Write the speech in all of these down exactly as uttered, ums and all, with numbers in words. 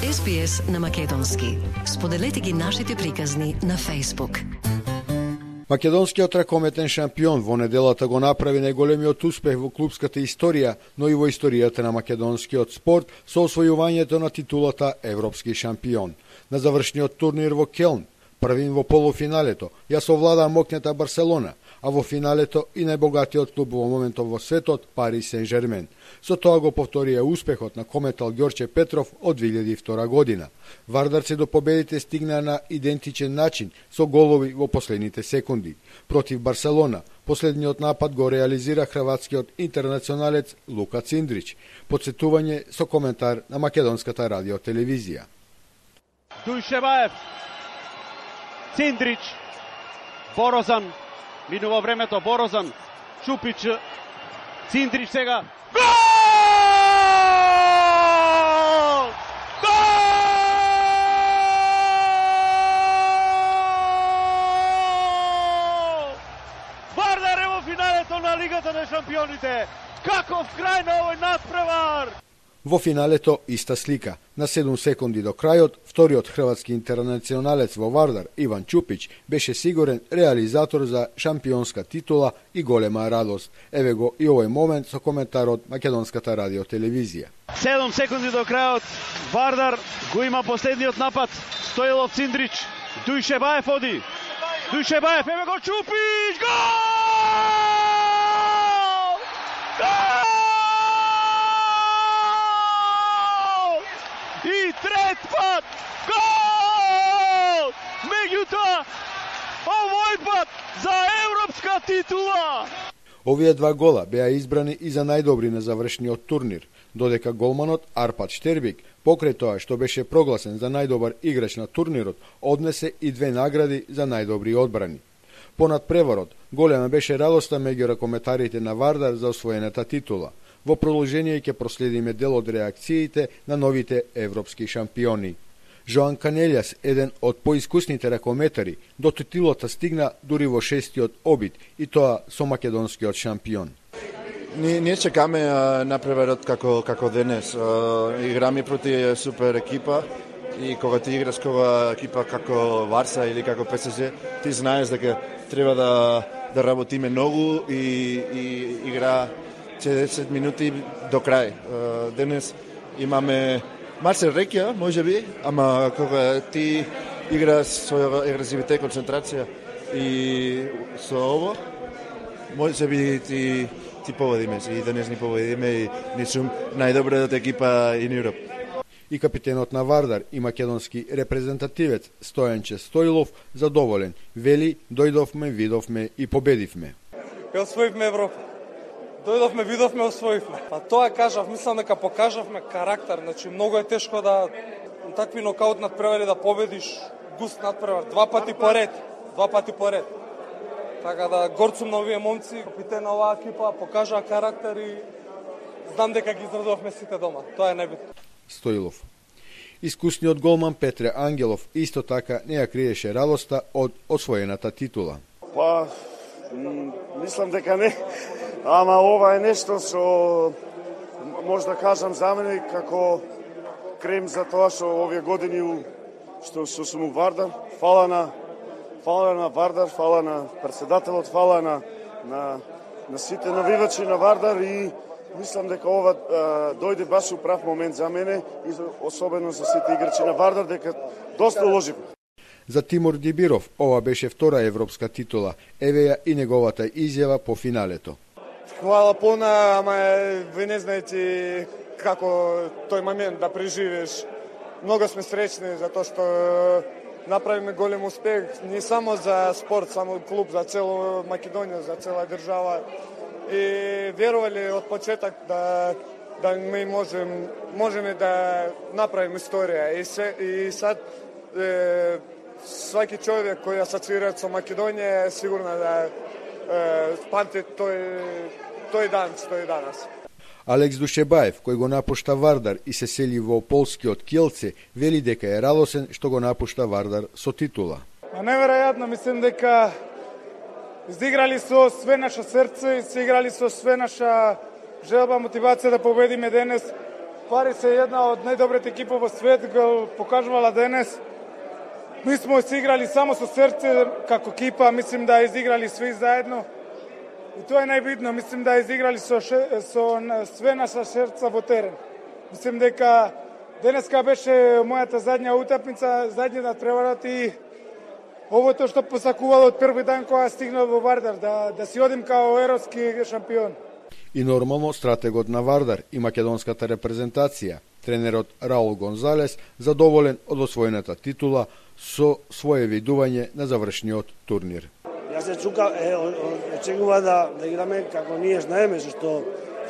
Ес Би Ес на македонски. Споделете ги нашите приказни на Facebook. Македонскиот ракометен шампион во неделата го направи најголемиот успех во клубската историја, но и во историјата на македонскиот спорт со освојувањето на титулата Европски шампион. На завршниот турнир во Келн, првин во полуфиналето, ја совлада моќната Барселона, а во финалето и најбогатиот клуб во моментов во светот, Пари Сен-Жермен. Со тоа го повторија успехот на кометал Ѓорче Петров од две илјади и втора година. Вардарци до победите стигна на идентичен начин со голови во последните секунди. Против Барселона, последниот напад го реализира хрватскиот интернационалец Лука Циндрич. Подсетување со коментар на македонската радиотелевизија. Дујшеваев, Циндрич, Борозан, минува времето, Борозан, Чупич, Циндрич сега. Гол! Гол! Вардар е во финалето на Лигата на шампионите. Каков крај на овој натпревар! Во финалето иста слика. На седум секунди до крајот, вториот хрватски интернационалец во Вардар, Иван Чупич, беше сигурен реализатор за шампионска титула и голема радост. Еве го и овој момент со коментарот македонската радиотелевизија. седум секунди до крајот, Вардар го има последниот напад. Стоилов, Циндрич, Дујшебаев оди. Дујшебаев, еве го Чупич, гол! Гол! И трет пат, гол! Меѓутоа, овој пат за европска титула! Овие два гола беа избрани и за најдобри на завршниот турнир, додека голманот Арпад Штербик, покрај тоа што беше прогласен за најдобар играч на турнирот, однесе и две награди за најдобри одбрани. Понад преварот, голема беше радоста меѓу ракометарите на Вардар за освоената титула. Во продолжение ќе проследиме дел од реакциите на новите европски шампиони. Жоан Канелјас, еден од поискусните ракометари, до титулата стигна дури во шестиот обид, и тоа со македонскиот шампион. Ние, ние чекаме а, напреварот како, како денес. А, играме проти супер екипа и кога ти играш кога екипа како Варса или како Пе Се Же, ти знаеш дека треба да, да работиме многу и, и игра четиридесет минути до крај. Денес имаме малце рекја, можеби, ама кога ти играш со агресивитет, концентрација и со ово, можеби ти ти победиме, и денес ни победиме и ни сум најдобрата екипа in Europe. И капитенот на Вардар и македонски репрезентативец Стојанче Стоилов задоволен, вели: дојдовме, видовме и победивме. Освоивме Европа. Дојдовме, видовме, освоивме. Па тоа кажав, мислам дека покажавме карактер, значи многу е тешко да такви нокаут надпревари да победиш, густ надпревар, два пати поред, два пати поред. Така да горд сум на овие момци, капитен на оваа екипа, покажаа карактер и знам дека ги израдувавме сите дома. Тоа е најбитно. Стоилов. Искусниот голман Петре Ангелов исто така не ја криеше радоста од освоената титула. Па, мислам дека не. Ама ова е нешто што може да кажам за мене како крем за тоа што овие години што, што сум у Вардар. Фала на, фала на Вардар, фала на председателот, фала на, на, на сите навивачи на Вардар и мислам дека ова а, дојде баш у прав момент за мене и особено за сите играчи на Вардар, дека доста уложив. За Тимур Дибиров ова беше втора европска титула. Еве ја и неговата изјава по финалето. Хвала пона, ама ви не знаете како тој момент да преживееш. Много сме среќни за тоа што направиме голем успех не само за спорт, само клуб, за цела Македонија, за цела држава. И верувале од почеток да да ми можем можеме да направиме историја и се и сад е, сваки човек кој асоцира со Македонија е сигурно да е, памти тој тој дан што е данас. Алекс Душебаев, кој го напушта Вардар и се сели во полскиот Кјелце, вели дека е радосен што го напушта Вардар со титула. А неверојатно, мислам дека изиграли со све наше срце и се играли со све наша желба, мотивација да победиме денес. Вардар е една од најдобрите екипи во свет, го покажувала денес. Mi smo izigrali samo sa srce kako ekipa, mislim da je izigrali svi zajedno i to je najbitno, mislim da je izigrali so, še, so sve naša srca vo teren. Mislim дека денеска беше мојата задња утакмица, задњата преварат и овото што посакувало од први дан кога стигнал во Вардар, да, да си одим као европски шампион. И нормално стратегот на Вардар и македонската репрезентација, тренерот Раул Гонзалес, задоволен од освоената титула со свое видување на завршниот турнир. Јас се чука, е, очекува да, да играме како ние знаеме, што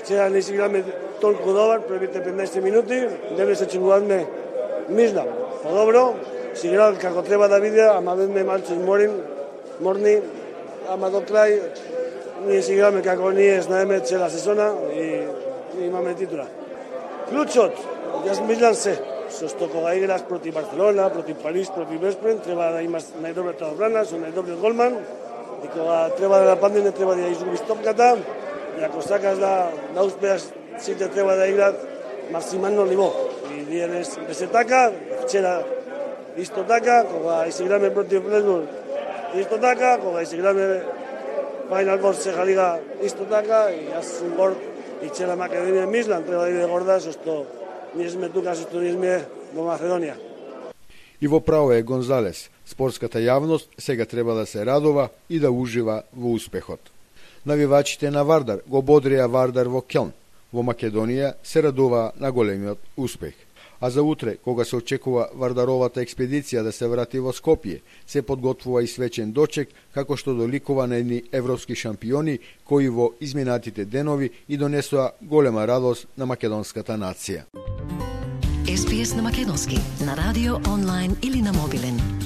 вчера не си играме толку добар, првите петнаесет минути, денес се очекуваме мислам, подобро, си играл како треба да биде, ама бевме малку изморени, морни, ама до крај ние си играме како ние знаеме цела сезона и, и имаме титула. Клучот, јас мислам се, со што кога играш против Барселона, против Париж, против Веспрен, треба да имаш најдобрата одбрана, со најдобриот голман, и кога треба да нападне, не треба да ја изгубиш топката, и ако сакаш да, да успеаш, сите треба да играат максимално ниво. И денес беше така, вчера исто така, кога изиграме против Флесбург, исто така, кога изиграме Final Four Сеха Лига, исто така, и јас сум горд, и цела Македонија мислам, треба да биде горда, со што ние сме тука, со што ние сме во Македонија. И во право е Гонзалес, спортската јавност сега треба да се радува и да ужива во успехот. Навивачите на Вардар го бодрија Вардар во Келн. Во Македонија се радува на големиот успех. А за утре, кога се очекува Вардаровата експедиција да се врати во Скопје, се подготвува и свечен дочек, како што доликува на едни европски шампиони кои во изминатите денови и донесоа голема радост на македонската нација. Ес Би Ес на македонски, на радио, онлайн или на мобилен.